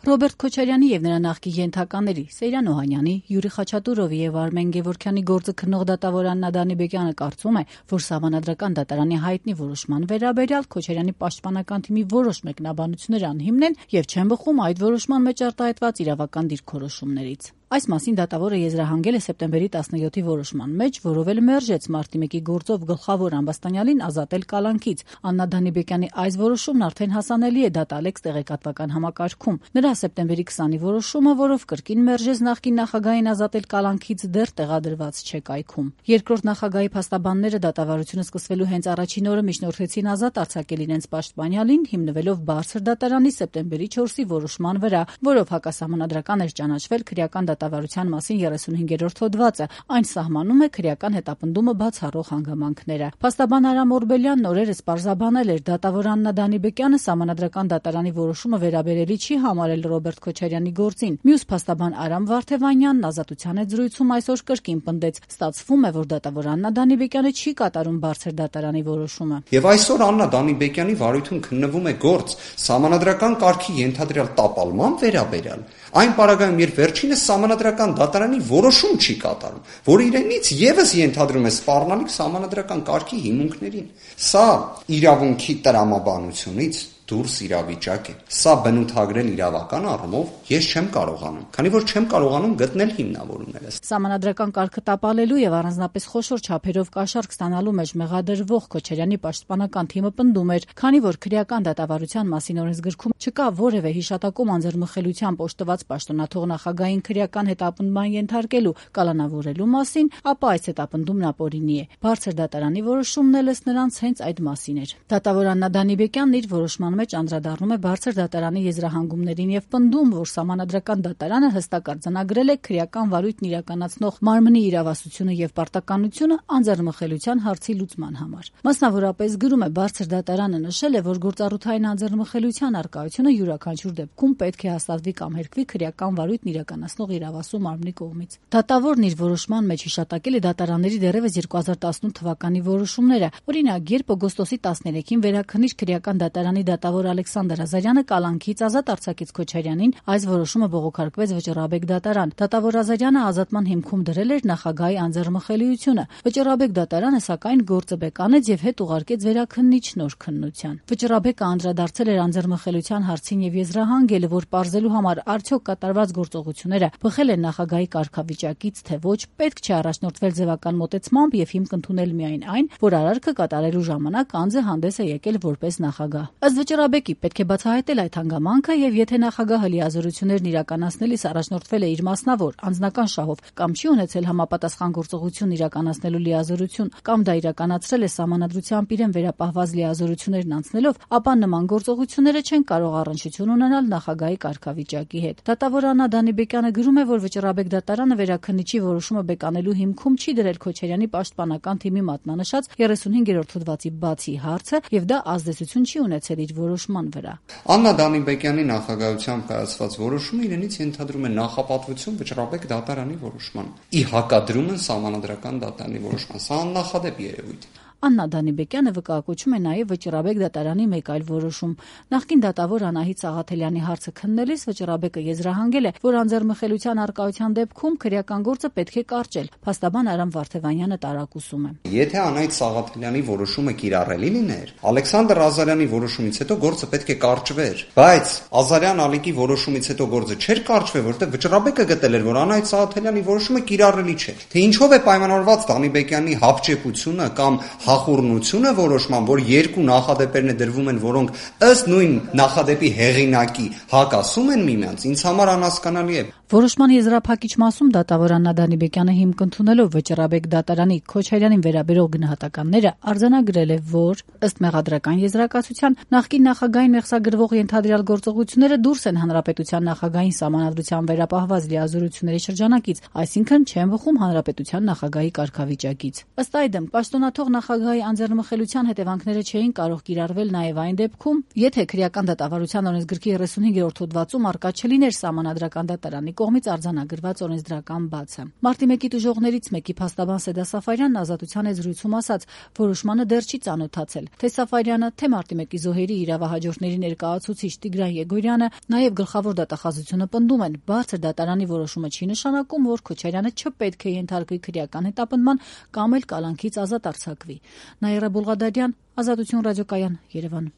Ռոբերտ Քոչարյանի եւ նրա նախկին ենթականների Սեյրան Օհանյանի, Յուրի Խաչատուրովի եւ Արմեն Գևորգյանի գործը քննող դատավոր Աննա Դանիբեկյանը կարծում է, որ Սահմանադրական դատարանի հայտնի որոշման վերաբերյալ Քոչարյանի պաշտպանական թիմի որոշ մեկնաբանություններ անհիմն են եւ չեն բխում այդ որոշման մեջ արտահայտված իրավական դիրքորոշումներից։ Այս մասին դատավորը եզրահանգել է սեպտեմբերի 17-ի որոշման մեջ, որով էլ մերժեց մարտի 1-ի գործով գլխավոր ամբաստանյալին ազատել կալանքից։ Աննա Դանիբեկյանի այս որոշումն արդեն հասանելի է Դատալեքս տեղեկատվական համակարգում։ Նրա սեպտեմբերի 20-ի որոշումը, որով կրկին մերժեց նախկին նախագահին ազատել կալանքից, դեռ տեղադրված չէ կայքում։ Երկրորդ նախագահի փաստաբանները դատավարությունը սկսվելու հենց առաջին օրը միջնորդեցին ազատ արձակել իրենց պաշտպանյալին, հիմնվելով Բարձր դատարանի սեպտեմբերի 4-ի որոշման վրա, որով հակասահմանադրական էր ճանաչվել քրեական դատավարության մասին 35-րդ հոդվածը, այն սահմանում է քրեական հետապնդումը բացառող հանգամանքները։ Փաստաբան Արամ Օրբելյանն օրերս պարզաբանել էր, դատավոր Աննա Դանիբեկյանը Սահմանադրական դատարանի որոշումը վերաբերելի չի համարել Ռոբերտ Քոչարյանի գործին։ Մյուս փաստաբան Արամ Վարդևանյանն Ազատության հետ զրույցում այսօր կրկին պնդեց, ստացվում է, որ դատավոր Աննա Դանիբեկյանը չի կատարում Բարձր դատարանի որոշումը։ Եվ այսօր Աննա Դանիբեկյանի վարույթում քննվում է գործ Սահմանադրական կարգի ենթադրյալ տապալման վերաբերյալ։ Այն պարագայում, երբ վերջինս Սահմանադրական դատարանի որոշում չի կատարում, որը իրենից եւս ենթադրում է սպառնալիք Սահմանադրական կարգի հիմունքներին։ Սա իրավունքի տրամաբանությունից դուրս իրավիճակ է։ Սա բնութագրել իրավական առումով ես չեմ կարողանում, քանի որ չեմ կարողանում գտնել հիմնավորումները։ Սահմանադրական կարգը տապալելու եւ առանձնապես խոշոր չափերով կաշառք ստանալու մեջ մեղադրվող Քոչարյանի պաշտպանական թիմը պնդում էր, քանի որ քրեական դատավարության մասին օրենսգրքում չկա որևէ հիշատակում անձեռմխելությամբ օժտված պաշտոնաթող նախագահային քրեական հետապնդման ենթարկելու, կալանավորելու մասին, ապա այս հետապնդումն ապօրինի է։ Բարձր դատարանի որոշումն էլ նրանց հենց այդ մասին էր։ Դատավոր Աննա Դանիբեկյանն իր որոշման մեջ անդրադառնում է Բարձր դատարանի եզրահանգումներին եւ պնդում, որ Սահմանադրական դատարանը հստակ արձանագրել է քրեական վարույթն իրականացնող մարմնի իրավասությունը եւ պարտականությունը անձեռնմխելիության հարցի լուծման համար։ Մասնավորապես գրում է Բարձր դատարանը նշել է, որ գործառութային անձեռնմխելիության արկայությունը յուրաքանչյուր դեպքում պետք է հաստատվի կամ հերկվի քրեական վարույթն իրականացնող իրավասու մարմնի կողմից։ Դատավորն իր որոշման մեջ հիշատակել է դատարանների դեռևս 2018 թվականի որոշումները։ Օրինակ, երբ օգոստոսի 13-ին վերաքննիչ քրեական դատարանի դատավոր Ալեքսանդր Ազարյանը կալանքից ազատ արձակեց Քոչարյանին, այս որոշումը բողոքարկվեց Վճռաբեկ դատարան։ Դատավոր Ազարյանը ազատման հիմքում դրել էր նախագահի անձեռնմխելիությունը։ Վճռաբեկ դատարանը սակայն գործը բեկանեց եւ հետ ուղարկեց վերաքննիչ նոր քննության։ Վճռաբեկը անդրադարձել էր անձեռնմխելիության հարցին եւ եզրահանգել, որ պարզելու համար արդյոք կատարված գործողությունները բխել են նախագահի կարգավիճակից, թե ոչ, պետք չէ առաջնորդվել ձևական մոտեցմամբ եւ հիմք ընդունել միայն այն, որ արարքը կատարելու ժամանակ անձը հանդես է եկել որպես նախագահ։ Ըստ Վճռաբեկի պետք է բացահայտել այդ հանգամանքը եւ եթե նախագահը լիազորություններն իրականացնելիս առաջնորդվել է իր մասնավոր անձնական շահով կամ չի ունեցել համապատասխան գործողություն իրականացնելու լիազորություն կամ դա իրականացրել է սահմանադրությամբ իրեն վերապահված լիազորություններն անցնելով, ապա նման գործողությունները չեն կարող առնչություն ունենալ նախագահի կարգավիճակի հետ։ Դատավոր Աննա Դանիբեկյանը գրում է, որ Վճռաբեկ դատարանը վերաքննիչի որոշումը բեկանելու հիմքում չի դրել Քոչարյանի պաշտպանական թիմի մատնանշած 35-րդ հոդվածի բացի հարցը եւ դա ազդեցություն չի ունեցել իր որոշման վրա։ Աննա Դանիբեկյանի նախագահությամբ կայացված որոշումը իրենից ենթադրում է նախապատվություն Վճռաբեկ դատարանի որոշման։ Ի հակադրումն Սահմանադրական դատարանի որոշման։ Սա աննախադեպ երևույթ է։ Աննա Դանիբեկյանը վկայակոչում է նաև Վճռաբեկ դատարանի մեկ այլ որոշում։ Նախկին դատավոր Անահիտ Սաղաթելյանի հարցը քննելիս Վճռաբեկը եզրահանգել է, որ անձեռնմխելիության արկայության դեպքում քրեական գործը պետք է կարճել։ Փաստաբան Արամ Վարդևանյանը տարակուսում է։ Եթե Անահիտ Սաղաթելյանի որոշումը կիրառելի լիներ, Ալեքսանդր Ազարյանի որոշումից հետո գործը պետք է կարճվեր, բայց Ազարյան Ալիկի որոշումից հետո գործը չէր կարճվել, որտեղ Վճռաբեկը գտել էր, որ Անահիտ Սաղաթելյանի որոշումը կիրառելի չէ։ Թե ինչով է պայմանավորված Դանիբեկյանի հապճեպությունը կամ հախուռնությունը որոշման, որ երկու նախադեպերն է դրվում են, որոնք ըստ նույն նախադեպի հեղինակի հակասում են միմյանց, ինձ համար անհասկանալի է։ Որոշման եզրափակիչ մասում դատավոր Աննա Դանիբեկյանը հիմք ընդունելով Վճռաբեկ դատարանի Քոչարյանին վերաբերող գնահատականները արձանագրել է, որ ըստ մեղադրական եզրակացության նախկին նախագահային մեղսագրվող ենթադրյալ գործողությունները դուրս են հանրապետության նախագահային սահմանադրությամբ վերապահված լիազորությունների շրջանակից, այսինքն չեն բխում հանրապետության նախագահի կարգավիճակից։ Ըստ այդմ պաշտոնաթող նախագահի անձեռնմխելիության հետևանքները չէին կարող կիրառվել նաև այն դեպքում, եթե քրեական դատավարության օրենսգրքի 35-րդ հոդվածում արկա չլիներ Սահմանադրական դատարանի կողմից արձանագրված օրենսդրական բաց է։ Մարտի 1-ի տուժողներից մեկի փաստաբան Սեդա Սաֆարյանն Ազատության հետ զրույցում ասաց, որոշմանը դեռ չի ծանոթացել։ Թե Սաֆարյանը, թե Մարտի 1-ի զոհերի իրավահաջորդների ներկայացուցիչ Տիգրան Եգորյանը, նաև գլխավոր դատախազությունը պնդում են, բարձր դատարանի որոշումը չի նշանակում, որ Քոչարյանը չպետք է ենթարկվի քրեական հետապնդման կամ էլ կալանքից ազատ արձակվի։ Նաիրա Բուլղադարյան, Ազատություն ռադիոկայան, Երևան։